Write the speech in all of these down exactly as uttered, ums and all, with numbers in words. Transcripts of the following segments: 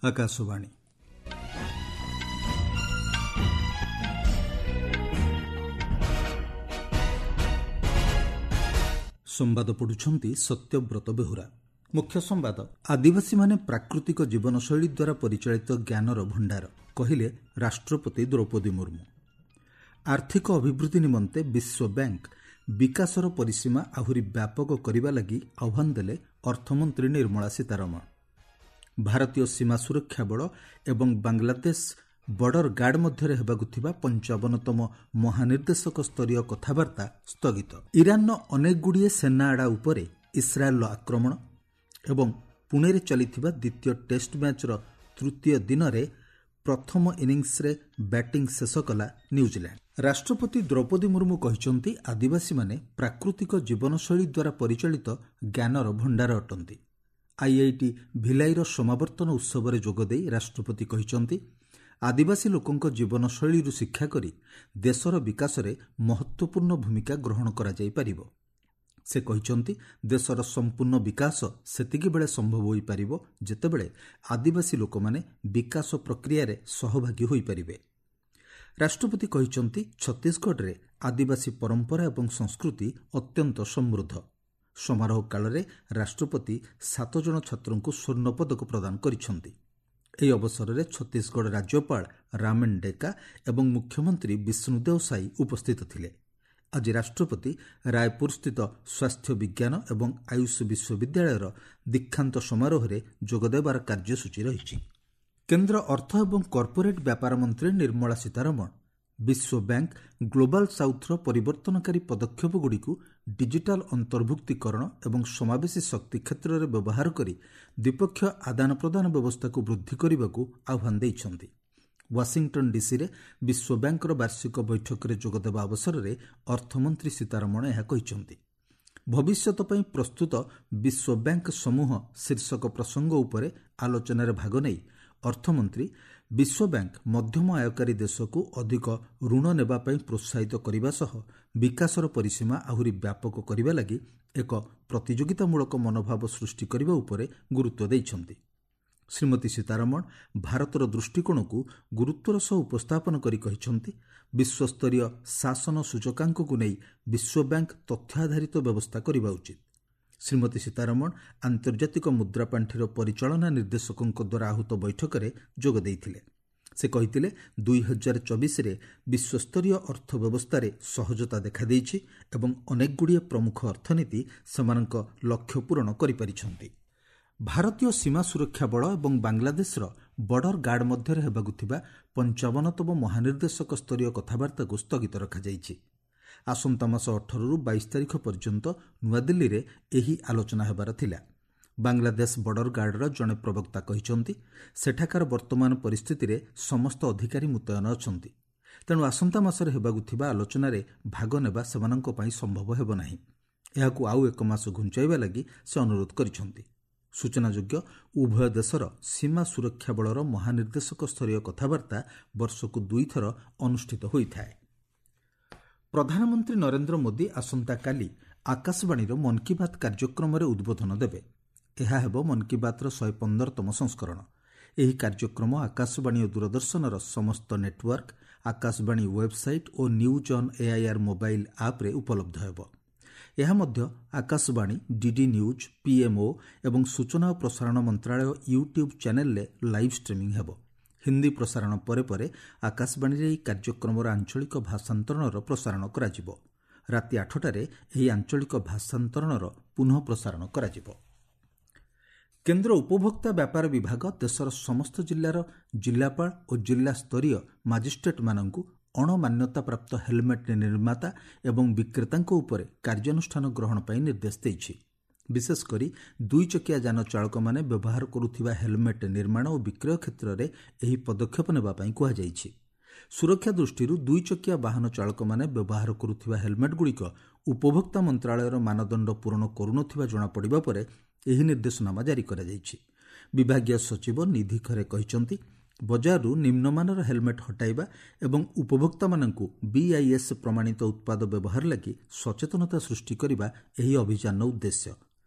ଆକାଶବାଣୀ। ସମ୍ବାଦ ପଢୁଛନ୍ତି ସତ୍ୟବ୍ରତ ବେହୁରା। ମୁଖ୍ୟ ସମ୍ବାଦ। ଆଦିବାସୀମାନେ ପ୍ରାକୃତିକ ଜୀବନଶୈଳୀ ଦ୍ୱାରା ପରିଚାଳିତ ଜ୍ଞାନର ଭଣ୍ଡାର, କହିଲେ ରାଷ୍ଟ୍ରପତି ଦ୍ରୌପଦୀ ମୁର୍ମୁ। ଆର୍ଥିକ ଅଭିବୃଦ୍ଧି ନିମନ୍ତେ ବିଶ୍ୱ ବ୍ୟାଙ୍କ ବିକାଶର ପରିସୀମା ଆହୁରି ବ୍ୟାପକ କରିବା ଲାଗି ଆହ୍ୱାନ ଦେଲେ ଅର୍ଥମନ୍ତ୍ରୀ ନିର୍ମଳା ସୀତାରମଣ। ଭାରତୀୟ ସୀମା ସୁରକ୍ଷା ବଳ ଏବଂ ବାଂଲାଦେଶ ବର୍ଡର ଗାର୍ଡ ମଧ୍ୟରେ ହେବାକୁ ଥିବା ପଞ୍ଚାବନତମ ମହାନିର୍ଦ୍ଦେଶକ ସ୍ତରୀୟ କଥାବାର୍ତ୍ତା ସ୍ଥଗିତ। ଇରାନର ଅନେକଗୁଡ଼ିଏ ସେନା ଆଡ଼ା ଉପରେ ଇସ୍ରାଏଲର ଆକ୍ରମଣ ଏବଂ ପୁଣେରେ ଚାଲିଥିବା ଦ୍ୱିତୀୟ ଟେଷ୍ଟ ମ୍ୟାଚ୍ର ତୃତୀୟ ଦିନରେ ପ୍ରଥମ ଇନିଂସରେ ବ୍ୟାଟିଂ ଶେଷ କଲା ନ୍ୟୁଜିଲ୍ୟାଣ୍ଡ। ରାଷ୍ଟ୍ରପତି ଦ୍ରୌପଦୀ ମୁର୍ମୁ କହିଛନ୍ତି, ଆଦିବାସୀମାନେ ପ୍ରାକୃତିକ ଜୀବନଶୈଳୀ ଦ୍ୱାରା ପରିଚାଳିତ ଜ୍ଞାନର ଭଣ୍ଡାର ଅଟନ୍ତି। ଆଇଆଇଟି ଭିଲାଇର ସମାବର୍ତ୍ତନ ଉତ୍ସବରେ ଯୋଗଦେଇ ରାଷ୍ଟ୍ରପତି କହିଛନ୍ତି, ଆଦିବାସୀ ଲୋକଙ୍କ ଜୀବନଶୈଳୀରୁ ଶିକ୍ଷା କରି ଦେଶର ବିକାଶରେ ମହତ୍ତ୍ୱପୂର୍ଣ୍ଣ ଭୂମିକା ଗ୍ରହଣ କରାଯାଇପାରିବ। ସେ କହିଛନ୍ତି, ଦେଶର ସମ୍ପୂର୍ଣ୍ଣ ବିକାଶ ସେତିକିବେଳେ ସମ୍ଭବ ହୋଇପାରିବ ଯେତେବେଳେ ଆଦିବାସୀ ଲୋକମାନେ ବିକାଶ ପ୍ରକ୍ରିୟାରେ ସହଭାଗୀ ହୋଇପାରିବେ। ରାଷ୍ଟ୍ରପତି କହିଛନ୍ତି, ଛତିଶଗଡ଼ରେ ଆଦିବାସୀ ପରମ୍ପରା ଏବଂ ସଂସ୍କୃତି ଅତ୍ୟନ୍ତ ସମୃଦ୍ଧ। ସମାରୋହ କାଳରେ ରାଷ୍ଟ୍ରପତି ସାତ ଜଣ ଛାତ୍ରଙ୍କୁ ସ୍ୱର୍ଣ୍ଣ ପଦକ ପ୍ରଦାନ କରିଛନ୍ତି। ଏହି ଅବସରରେ ଛତିଶଗଡ଼ ରାଜ୍ୟପାଳ ରାମେନ୍ ଡେକା ଏବଂ ମୁଖ୍ୟମନ୍ତ୍ରୀ ବିଷ୍ଣୁଦେଓ ସାଇ ଉପସ୍ଥିତ ଥିଲେ। ଆଜି ରାଷ୍ଟ୍ରପତି ରାୟପୁରସ୍ଥିତ ସ୍ୱାସ୍ଥ୍ୟ ବିଜ୍ଞାନ ଏବଂ ଆୟୁଷ ବିଶ୍ୱବିଦ୍ୟାଳୟର ଦୀକ୍ଷାନ୍ତ ସମାରୋହରେ ଯୋଗଦେବାର କାର୍ଯ୍ୟସୂଚୀ ରହିଛି। କେନ୍ଦ୍ର ଅର୍ଥ ଏବଂ କର୍ପୋରେଟ୍ ବ୍ୟାପାର ମନ୍ତ୍ରୀ ନିର୍ମଳା ସୀତାରମଣ ବିଶ୍ୱ ବ୍ୟାଙ୍କ ଗ୍ଲୋବାଲ ସାଉଥ୍ର ପରିବର୍ତ୍ତନକାରୀ ପଦକ୍ଷେପଗୁଡ଼ିକୁ ଡିଜିଟାଲ ଅନ୍ତର୍ଭୁକ୍ତୀକରଣ ଏବଂ ସମାବେଶୀ ଶକ୍ତି କ୍ଷେତ୍ରରେ ବ୍ୟବହାର କରି ଦ୍ୱିପକ୍ଷୀୟ ଆଦାନ ପ୍ରଦାନ ବ୍ୟବସ୍ଥାକୁ ବୃଦ୍ଧି କରିବାକୁ ଆହ୍ୱାନ ଦେଇଛନ୍ତି। ୱାଶିଂଟନ୍ ଡିସିରେ ବିଶ୍ୱ ବ୍ୟାଙ୍କର ବାର୍ଷିକ ବୈଠକରେ ଯୋଗଦେବା ଅବସରରେ ଅର୍ଥମନ୍ତ୍ରୀ ସୀତାରମଣ ଏହା କହିଛନ୍ତି। ଭବିଷ୍ୟତ ପାଇଁ ପ୍ରସ୍ତୁତ ବିଶ୍ୱ ବ୍ୟାଙ୍କ ସମୂହ ଶୀର୍ଷକ ପ୍ରସଙ୍ଗ ଉପରେ ଆଲୋଚନାରେ ଭାଗ ନେଇ ଅର୍ଥମନ୍ତ୍ରୀ ବିଶ୍ୱ ବ୍ୟାଙ୍କ ମଧ୍ୟମ ଆୟକାରୀ ଦେଶକୁ ଅଧିକ ଋଣ ନେବା ପାଇଁ ପ୍ରୋତ୍ସାହିତ କରିବା ସହ ବିକାଶର ପରିସୀମା ଆହୁରି ବ୍ୟାପକ କରିବା ଲାଗି ଏକ ପ୍ରତିଯୋଗିତାମୂଳକ ମନୋଭାବ ସୃଷ୍ଟି କରିବା ଉପରେ ଗୁରୁତ୍ୱ ଦେଇଛନ୍ତି। ଶ୍ରୀମତୀ ସୀତାରମଣ ଭାରତର ଦୃଷ୍ଟିକୋଣକୁ ଗୁରୁତ୍ୱର ସହ ଉପସ୍ଥାପନ କରି କହିଛନ୍ତି, ବିଶ୍ୱସ୍ତରୀୟ ଶାସନ ସୂଚକାଙ୍କକୁ ନେଇ ବିଶ୍ୱ ବ୍ୟାଙ୍କ ତଥ୍ୟ ଆଧାରିତ ବ୍ୟବସ୍ଥା କରିବା ଉଚିତ। ଶ୍ରୀମତୀ ସୀତାରମଣ ଆନ୍ତର୍ଜାତିକ ମୁଦ୍ରା ପାଣ୍ଠିର ପରିଚାଳନା ନିର୍ଦ୍ଦେଶକଙ୍କ ଦ୍ୱାରା ଆହୁତ ବୈଠକରେ ଯୋଗ ଦେଇଥିଲେ। ସେ କହିଥିଲେ, ଦୁଇ ହଜାର ଚବିଶରେ ବିଶ୍ୱସ୍ତରୀୟ ଅର୍ଥ ବ୍ୟବସ୍ଥାରେ ସହଜତା ଦେଖାଦେଇଛି ଏବଂ ଅନେକଗୁଡ଼ିଏ ପ୍ରମୁଖ ଅର୍ଥନୀତି ସେମାନଙ୍କ ଲକ୍ଷ୍ୟ ପୂରଣ କରିପାରିଛନ୍ତି। ଭାରତୀୟ ସୀମା ସୁରକ୍ଷା ବଳ ଏବଂ ବାଂଲାଦେଶର ବର୍ଡର ଗାର୍ଡ ମଧ୍ୟରେ ହେବାକୁ ଥିବା ପଞ୍ଚାବନତମ ମହାନିର୍ଦ୍ଦେଶକ ସ୍ତରୀୟ କଥାବାର୍ତ୍ତାକୁ ସ୍ଥଗିତ ରଖାଯାଇଛି। ଆସନ୍ତା ମାସ ଅଠରରୁ ବାଇଶ ତାରିଖ ପର୍ଯ୍ୟନ୍ତ ନୂଆଦିଲ୍ଲୀରେ ଏହି ଆଲୋଚନା ହେବାର ଥିଲା। ବାଂଲାଦେଶ ବର୍ଡର ଗାର୍ଡର ଜଣେ ପ୍ରବକ୍ତା କହିଛନ୍ତି, ସେଠାକାର ବର୍ତ୍ତମାନ ପରିସ୍ଥିତିରେ ସମସ୍ତ ଅଧିକାରୀ ମୁତୟନ ଅଛନ୍ତି, ତେଣୁ ଆସନ୍ତା ମାସରେ ହେବାକୁ ଥିବା ଆଲୋଚନାରେ ଭାଗ ନେବା ସେମାନଙ୍କ ପାଇଁ ସମ୍ଭବ ହେବ ନାହିଁ। ଏହାକୁ ଆଉ ଏକ ମାସ ଘୁଞ୍ଚାଇବା ଲାଗି ସେ ଅନୁରୋଧ କରିଛନ୍ତି। ସୂଚନାଯୋଗ୍ୟ, ଉଭୟ ଦେଶର ସୀମା ସୁରକ୍ଷା ବଳର ମହାନିର୍ଦ୍ଦେଶକ ସ୍ତରୀୟ କଥାବାର୍ତ୍ତା ବର୍ଷକୁ ଦୁଇଥର ଅନୁଷ୍ଠିତ ହୋଇଥାଏ। ପ୍ରଧାନମନ୍ତ୍ରୀ ନରେନ୍ଦ୍ର ମୋଦି ଆସନ୍ତାକାଲି ଆକାଶବାଣୀର ମନ୍ କି ବାତ୍ କାର୍ଯ୍ୟକ୍ରମରେ ଉଦ୍ବୋଧନ ଦେବେ। ଏହା ହେବ ମନ୍ କି ବାତ୍ର ଶହେ ପନ୍ଦରତମ ସଂସ୍କରଣ। ଏହି କାର୍ଯ୍ୟକ୍ରମ ଆକାଶବାଣୀ ଓ ଦୂରଦର୍ଶନର ସମସ୍ତ network, Akashvani website O news on AIR mobile ଆପ୍ରେ ଉପଲବ୍ଧ ହେବ। ଏହା ମଧ୍ୟ ଆକାଶବାଣୀ, ଡିଡି ନ୍ୟୁଜ୍, ପିଏମ୍ଓ ଏବଂ ସୂଚନା ଓ ପ୍ରସାରଣ ମନ୍ତ୍ରାଳୟ ୟୁଟ୍ୟୁବ୍ ଚ୍ୟାନେଲ୍ରେ ଲାଇଭ୍ ଷ୍ଟ୍ରିମିଂ ହେବ। ହିନ୍ଦୀ ପ୍ରସାରଣ ପରେ ପରେ ଆକାଶବାଣୀରେ ଏହି କାର୍ଯ୍ୟକ୍ରମର ଆଞ୍ଚଳିକ ଭାଷାନ୍ତରଣର ପ୍ରସାରଣ କରାଯିବ। ରାତି ଆଠଟାରେ ଏହି ଆଞ୍ଚଳିକ ଭାଷାନ୍ତରଣର ପୁନଃ ପ୍ରସାରଣ କରାଯିବ। କେନ୍ଦ୍ର ଉପଭୋକ୍ତା ବ୍ୟାପାର ବିଭାଗ ଦେଶର ସମସ୍ତ ଜିଲ୍ଲାର ଜିଲ୍ଲାପାଳ ଓ ଜିଲ୍ଲାସ୍ତରୀୟ ମାଜିଷ୍ଟ୍ରେଟ୍ମାନଙ୍କୁ ଅଣମାନ୍ୟତାପ୍ରାପ୍ତ ହେଲମେଟ୍ ନିର୍ମାତା ଏବଂ ବିକ୍ରେତାଙ୍କ ଉପରେ କାର୍ଯ୍ୟାନୁଷ୍ଠାନ ଗ୍ରହଣ ପାଇଁ ନିର୍ଦ୍ଦେଶ ଦେଇଛି। ବିଶେଷ କରି ଦୁଇଚକିଆ ଯାନ ଚାଳକମାନେ ବ୍ୟବହାର କରୁଥିବା ହେଲମେଟ୍ ନିର୍ମାଣ ଓ ବିକ୍ରୟ କ୍ଷେତ୍ରରେ ଏହି ପଦକ୍ଷେପ ନେବା ପାଇଁ କୁହାଯାଇଛି। ସୁରକ୍ଷା ଦୃଷ୍ଟିରୁ ଦୁଇଚକିଆ ବାହନ ଚାଳକମାନେ ବ୍ୟବହାର କରୁଥିବା ହେଲମେଟ୍ଗୁଡ଼ିକ ଉପଭୋକ୍ତା ମନ୍ତ୍ରାଳୟର ମାନଦଣ୍ଡ ପୂରଣ କରୁନଥିବା ଜଣାପଡ଼ିବା ପରେ ଏହି ନିର୍ଦ୍ଦେଶନାମା ଜାରି କରାଯାଇଛି। ବିଭାଗୀୟ ସଚିବ ନିଧି ଖରେ କହିଛନ୍ତି, ବଜାରରୁ ନିମ୍ନମାନର ହେଲମେଟ୍ ହଟାଇବା ଏବଂ ଉପଭୋକ୍ତାମାନଙ୍କୁ ବିଆଇଏସ୍ ପ୍ରମାଣିତ ଉତ୍ପାଦ ବ୍ୟବହାର ଲାଗି ସଚେତନତା ସୃଷ୍ଟି କରିବା ଏହି ଅଭିଯାନର ଉଦ୍ଦେଶ୍ୟ।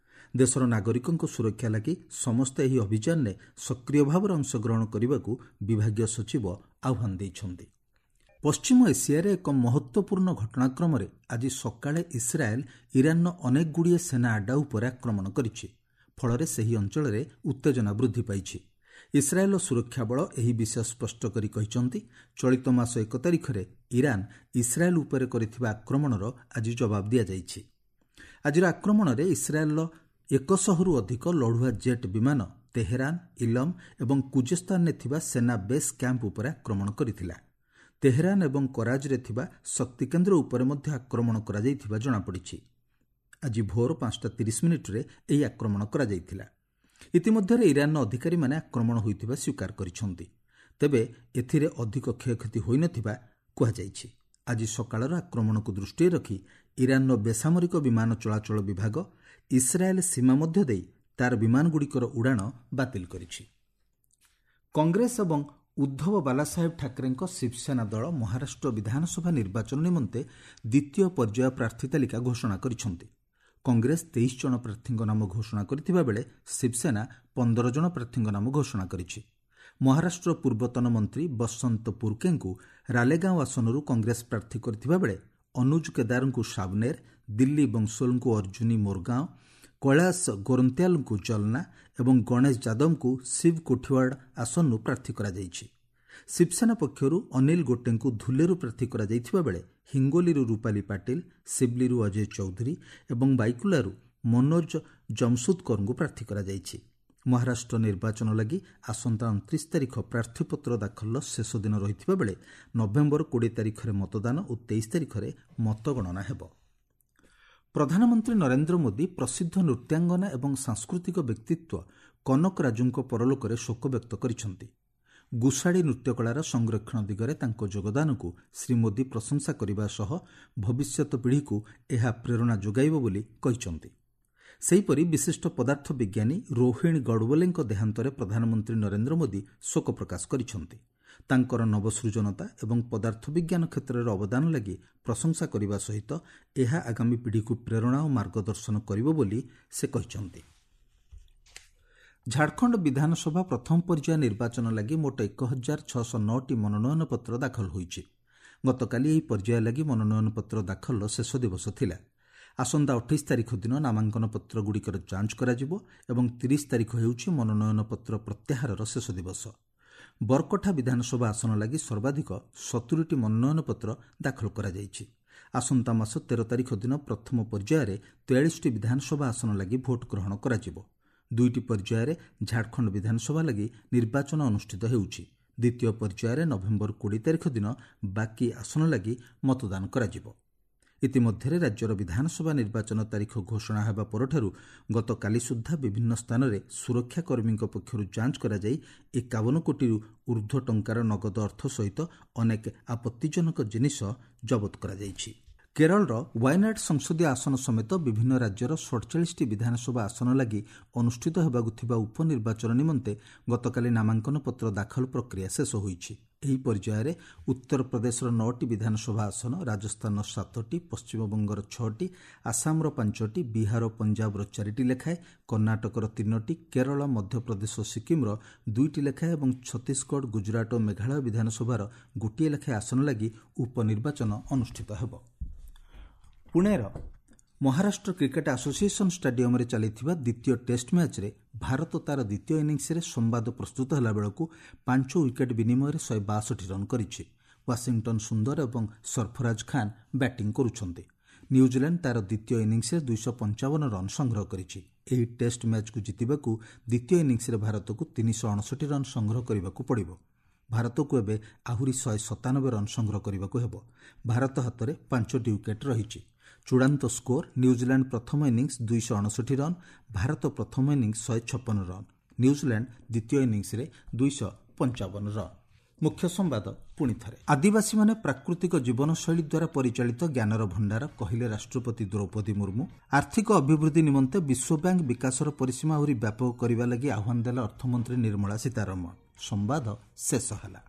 ଦେଶର ନାଗରିକଙ୍କ ସୁରକ୍ଷା ଲାଗି ସମସ୍ତେ ଏହି ଅଭିଯାନରେ ସକ୍ରିୟ ଭାବରେ ଅଂଶଗ୍ରହଣ କରିବାକୁ ବିଭାଗୀୟ ସଚିବ ଆହ୍ୱାନ ଦେଇଛନ୍ତି। ପଶ୍ଚିମ ଏସିଆରେ ଏକ ମହତ୍ତ୍ୱପୂର୍ଣ୍ଣ ଘଟଣାକ୍ରମରେ ଆଜି ସକାଳେ ଇସ୍ରାଏଲ୍ ଇରାନର ଅନେକଗୁଡ଼ିଏ ସେନା ଆଡ୍ଡା ଉପରେ ଆକ୍ରମଣ କରିଛି। ଫଳରେ ସେହି ଅଞ୍ଚଳରେ ଉତ୍ତେଜନା ବୃଦ୍ଧି ପାଇଛି। ଇସ୍ରାଏଲ୍ର ସୁରକ୍ଷା ବଳ ଏହି ବିଷୟ ସ୍ପଷ୍ଟ କରି କହିଛନ୍ତି, ଚଳିତ ମାସ ଏକ ତାରିଖରେ ଇରାନ ଇସ୍ରାଏଲ୍ ଉପରେ କରିଥିବା ଆକ୍ରମଣର ଆଜି ଜବାବ ଦିଆଯାଇଛି। ଆଜିର ଆକ୍ରମଣରେ ଇସ୍ରାଏଲ୍ର ଏକଶହରୁ ଅଧିକ ଲଢୁଆ ଜେଟ୍ ବିମାନ ତେହେରାନ, ଇଲମ୍ ଏବଂ କୁଜେସ୍ତାନରେ ଥିବା ସେନା ବେସ୍ କ୍ୟାମ୍ପ ଉପରେ ଆକ୍ରମଣ କରିଥିଲା। ତେହେରାନ ଏବଂ କରାଜରେ ଥିବା ଶକ୍ତିକେନ୍ଦ୍ର ଉପରେ ମଧ୍ୟ ଆକ୍ରମଣ କରାଯାଇଥିବା ଜଣାପଡ଼ିଛି। ଆଜି ଭୋର ପାଞ୍ଚଟା ତିରିଶ ମିନିଟ୍ରେ ଏହି ଆକ୍ରମଣ କରାଯାଇଥିଲା। ଇତିମଧ୍ୟରେ ଇରାନର ଅଧିକାରୀମାନେ ଆକ୍ରମଣ ହୋଇଥିବା ସ୍ୱୀକାର କରିଛନ୍ତି। ତେବେ ଏଥିରେ ଅଧିକ କ୍ଷୟକ୍ଷତି ହୋଇନଥିବା କୁହାଯାଇଛି। ଆଜି ସକାଳର ଆକ୍ରମଣକୁ ଦୃଷ୍ଟିରେ ରଖି ଇରାନର ବେସାମରିକ ବିମାନ ଚଳାଚଳ ବିଭାଗ ଇସ୍ରାଏଲ୍ ସୀମା ମଧ୍ୟ ଦେଇ ତାର ବିମାନଗୁଡ଼ିକର ଉଡ଼ାଣ ବାତିଲ କରିଛି। କଂଗ୍ରେସ ଏବଂ ଉଦ୍ଧବ ବାଲାସାହେବ ଠାକରେଙ୍କ ଶିବସେନା ଦଳ ମହାରାଷ୍ଟ୍ର ବିଧାନସଭା ନିର୍ବାଚନ ନିମନ୍ତେ ଦ୍ୱିତୀୟ ପର୍ଯ୍ୟାୟ ପ୍ରାର୍ଥୀ ତାଲିକା ଘୋଷଣା କରିଛନ୍ତି। କଂଗ୍ରେସ ତେଇଶ ଜଣ ପ୍ରାର୍ଥୀଙ୍କ ନାମ ଘୋଷଣା କରିଥିବା ବେଳେ ଶିବସେନା ପନ୍ଦର ଜଣ ପ୍ରାର୍ଥୀଙ୍କ ନାମ ଘୋଷଣା କରିଛି। ମହାରାଷ୍ଟ୍ର ପୂର୍ବତନ ମନ୍ତ୍ରୀ ବସନ୍ତ ପୁରକେଙ୍କୁ ରାଲେଗାଁଓ ଆସନରୁ କଂଗ୍ରେସ ପ୍ରାର୍ଥୀ କରିଥିବା ବେଳେ ଅନୁଜ କେଦାରଙ୍କୁ ସାବନେର, ଦିଲ୍ଲୀ ବଂଶୋଲଙ୍କୁ ଅର୍ଜୁନୀ ମୋରଗାଁଓ, କୈଳାସ ଗୋରନ୍ତିଆଲଙ୍କୁ ଜଲନା ଏବଂ ଗଣେଶ ଯାଦବଙ୍କୁ ଶିବ କୋଠିୱାଡ଼ ଆସନରୁ ପ୍ରାର୍ଥୀ କରାଯାଇଛି। ଶିବସେନା ପକ୍ଷରୁ ଅନିଲ ଗୋଟେଙ୍କୁ ଧୁଲେରୁ ପ୍ରାର୍ଥୀ କରାଯାଇଥିବା ବେଳେ ହିଙ୍ଗୋଲିରୁ ରୂପାଲି ପାଟିଲ, ସିବଲିରୁ ଅଜୟ ଚୌଧୁରୀ ଏବଂ ବାଇକୁଲାରୁ ମନୋଜ ଜମସୁଦକରଙ୍କୁ ପ୍ରାର୍ଥୀ କରାଯାଇଛି। ମହାରାଷ୍ଟ୍ର ନିର୍ବାଚନ ଲାଗି ଆସନ୍ତା ଅଣତିରିଶ ତାରିଖ ପ୍ରାର୍ଥୀପତ୍ର ଦାଖଲର ଶେଷ ଦିନ ରହିଥିବା ବେଳେ ନଭେମ୍ବର କୋଡ଼ିଏ ତାରିଖରେ ମତଦାନ ଓ ତେଇଶ ତାରିଖରେ ମତଗଣନା ହେବ। ପ୍ରଧାନମନ୍ତ୍ରୀ ନରେନ୍ଦ୍ର ମୋଦି ପ୍ରସିଦ୍ଧ ନୃତ୍ୟାଙ୍ଗନା ଏବଂ ସାଂସ୍କୃତିକ ବ୍ୟକ୍ତିତ୍ୱ କନକ ରାଜୁଙ୍କ ପରଲୋକରେ ଶୋକ ବ୍ୟକ୍ତ କରିଛନ୍ତି। ଗୁସାଡ଼ି ନୃତ୍ୟକଳାର ସଂରକ୍ଷଣ ଦିଗରେ ତାଙ୍କ ଯୋଗଦାନକୁ ଶ୍ରୀ ମୋଦି ପ୍ରଶଂସା କରିବା ସହ ଭବିଷ୍ୟତ ପିଢ଼ିକୁ ଏହା ପ୍ରେରଣା ଯୋଗାଇବ ବୋଲି କହିଛନ୍ତି। ସେହିପରି ବିଶିଷ୍ଟ ପଦାର୍ଥ ବିଜ୍ଞାନୀ ରୋହିଣୀ ଗଡ଼ବୋଲେଙ୍କ ଦେହାନ୍ତରେ ପ୍ରଧାନମନ୍ତ୍ରୀ ନରେନ୍ଦ୍ର ମୋଦି ଶୋକ ପ୍ରକାଶ କରିଛନ୍ତି। ତାଙ୍କର ନବସୃଜନତା ଏବଂ ପଦାର୍ଥ ବିଜ୍ଞାନ କ୍ଷେତ୍ରରେ ଅବଦାନ ଲାଗି ପ୍ରଶଂସା କରିବା ସହିତ ଏହା ଆଗାମୀ ପିଢ଼ିକୁ ପ୍ରେରଣା ଓ ମାର୍ଗଦର୍ଶନ କରିବ ବୋଲି ସେ କହିଛନ୍ତି। ଝାଡ଼ଖଣ୍ଡ ବିଧାନସଭା ପ୍ରଥମ ପର୍ଯ୍ୟାୟ ନିର୍ବାଚନ ଲାଗି ମୋଟ ଏକ ହଜାର ଛଅଶହ ନଅଟି ମନୋନୟନ ପତ୍ର ଦାଖଲ ହୋଇଛି। ଗତକାଲି ଏହି ପର୍ଯ୍ୟାୟ ଲାଗି ମନୋନୟନ ପତ୍ର ଦାଖଲର ଶେଷ ଦିବସ ଥିଲା। ଆସନ୍ତା ଅଠେଇଶ ତାରିଖ ଦିନ ନାମାଙ୍କନ ପତ୍ରଗୁଡ଼ିକର ଯାଞ୍ଚ କରାଯିବ ଏବଂ ତିରିଶ ତାରିଖ ହେଉଛି ମନୋନୟନ ପତ୍ର ପ୍ରତ୍ୟାହାରର ଶେଷ ଦିବସ। ବରକଠା ବିଧାନସଭା ଆସନ ଲାଗି ସର୍ବାଧିକ ସତୁରିଟି ମନୋନୟନ ପତ୍ର ଦାଖଲ କରାଯାଇଛି। ଆସନ୍ତା ମାସ ତେର ତାରିଖ ଦିନ ପ୍ରଥମ ପର୍ଯ୍ୟାୟରେ ତେୟାଳିଶଟି ବିଧାନସଭା ଆସନ ଲାଗି ଭୋଟ ଗ୍ରହଣ କରାଯିବ। ଦୁଇଟି ପର୍ଯ୍ୟାୟରେ ଝାଡ଼ଖଣ୍ଡ ବିଧାନସଭା ଲାଗି ନିର୍ବାଚନ ଅନୁଷ୍ଠିତ ହେଉଛି। ଦ୍ୱିତୀୟ ପର୍ଯ୍ୟାୟରେ ନଭେମ୍ବର କୋଡ଼ିଏ ତାରିଖ ଦିନ ବାକି ଆସନ ଲାଗି ମତଦାନ କରାଯିବ। ଇତିମଧ୍ୟରେ ରାଜ୍ୟର ବିଧାନସଭା ନିର୍ବାଚନ ତାରିଖ ଘୋଷଣା ହେବା ପରଠାରୁ ଗତକାଲି ସୁଦ୍ଧା ବିଭିନ୍ନ ସ୍ଥାନରେ ସୁରକ୍ଷାକର୍ମୀଙ୍କ ପକ୍ଷରୁ ଯାଞ୍ଚ କରାଯାଇ ଏକାବନ କୋଟିରୁ ଉର୍ଦ୍ଧ୍ୱ ଟଙ୍କାର ନଗଦ ଅର୍ଥ ସହିତ ଅନେକ ଆପତ୍ତିଜନକ ଜିନିଷ ଜବତ କରାଯାଇଛି। କେରଳର ୱାୟନାଡ ସଂସଦୀୟ ଆସନ ସମେତ ବିଭିନ୍ନ ରାଜ୍ୟର ସଡ଼ଚାଳିଶଟି ବିଧାନସଭା ଆସନ ଲାଗି ଅନୁଷ୍ଠିତ ହେବାକୁ ଥିବା ଉପନିର୍ବାଚନ ନିମନ୍ତେ ଗତକାଲି ନାମାଙ୍କନ ପତ୍ର ଦାଖଲ ପ୍ରକ୍ରିୟା ଶେଷ ହୋଇଛି। ଏହି ପର୍ଯ୍ୟାୟରେ ଉତ୍ତରପ୍ରଦେଶର ନଅଟି ବିଧାନସଭା ଆସନ, ରାଜସ୍ଥାନର ସାତଟି, ପଶ୍ଚିମବଙ୍ଗର ଛଅଟି, ଆସାମର ପାଞ୍ଚଟି, ବିହାର ଓ ପଞ୍ଜାବର ଚାରିଟି ଲେଖାଏଁ, କର୍ଣ୍ଣାଟକର ତିନୋଟି, କେରଳ, ମଧ୍ୟପ୍ରଦେଶ ଓ ସିକିମ୍ର ଦୁଇଟି ଲେଖାଏଁ ଏବଂ ଛତିଶଗଡ଼, ଗୁଜରାଟ ଓ ମେଘାଳୟ ବିଧାନସଭାର ଗୋଟିଏ ଲେଖାଏଁ ଆସନ ଲାଗି ଉପନିର୍ବାଚନ ଅନୁଷ୍ଠିତ ହେବ। ପୁଣେର ମହାରାଷ୍ଟ୍ର କ୍ରିକେଟ୍ ଆସୋସିଏସନ୍ ଷ୍ଟାଡିୟମରେ ଚାଲିଥିବା ଦ୍ୱିତୀୟ ଟେଷ୍ଟ ମ୍ୟାଚ୍ରେ ଭାରତ ତା'ର ଦ୍ୱିତୀୟ ଇନିଂସରେ ସମ୍ବାଦ ପ୍ରସ୍ତୁତ ହେଲାବେଳକୁ ପାଞ୍ଚ ୱିକେଟ୍ ବିନିମୟରେ ଶହେ ବାଷଠି ରନ୍ କରିଛି। ୱାଶିଂଟନ୍ ସୁନ୍ଦର ଏବଂ ସରଫରାଜ ଖାନ୍ ବ୍ୟାଟିଂ କରୁଛନ୍ତି। ନ୍ୟୁଜିଲାଣ୍ଡ ତା'ର ଦ୍ୱିତୀୟ ଇନିଂସରେ ଦୁଇଶହ ପଞ୍ଚାବନ ରନ୍ ସଂଗ୍ରହ କରିଛି। ଏହି ଟେଷ୍ଟ ମ୍ୟାଚ୍କୁ ଜିତିବାକୁ ଦ୍ୱିତୀୟ ଇନିଂସରେ ଭାରତକୁ ତିନିଶହ ଅଣଷଠି ରନ୍ ସଂଗ୍ରହ କରିବାକୁ ପଡ଼ିବ। ଭାରତକୁ ଏବେ ଆହୁରି ଶହେ ସତାନବେ ରନ୍ ସଂଗ୍ରହ କରିବାକୁ ହେବ। ଭାରତ ହାତରେ ପାଞ୍ଚଟି ୱିକେଟ୍ ରହିଛି। ଚୂଡ଼ାନ୍ତ ସ୍କୋର ନ୍ୟୁଜିଲାଣ୍ଡ ପ୍ରଥମ ଇନିଂସ ଦୁଇଶହ ଅଣଷଠି ରନ୍, ଭାରତ ପ୍ରଥମ ଇନିଂସ ଶହେ ଛପନ ରନ୍, ନ୍ୟୁଜିଲାଣ୍ଡ ଦ୍ୱିତୀୟ ଇନିଂସରେ ଦୁଇଶହ ପଞ୍ଚାବନ ରନ୍। ମୁଖ୍ୟ ସମ୍ବାଦ ପୁଣି ଥରେ। ଆଦିବାସୀମାନେ ପ୍ରାକୃତିକ ଜୀବନଶୈଳୀ ଦ୍ୱାରା ପରିଚାଳିତ ଜ୍ଞାନର ଭଣ୍ଡାର, କହିଲେ ରାଷ୍ଟ୍ରପତି ଦ୍ରୌପଦୀ ମୁର୍ମୁ। ଆର୍ଥିକ ଅଭିବୃଦ୍ଧି ନିମନ୍ତେ ବିଶ୍ୱବ୍ୟାଙ୍କ ବିକାଶର ପରିସୀମା ଆହୁରି ବ୍ୟାପକ କରିବା ଲାଗି ଆହ୍ୱାନ ଦେଲେ ଅର୍ଥମନ୍ତ୍ରୀ ନିର୍ମଳା ସୀତାରମଣ। ସମ୍ବାଦ ଶେଷ ହେଲା।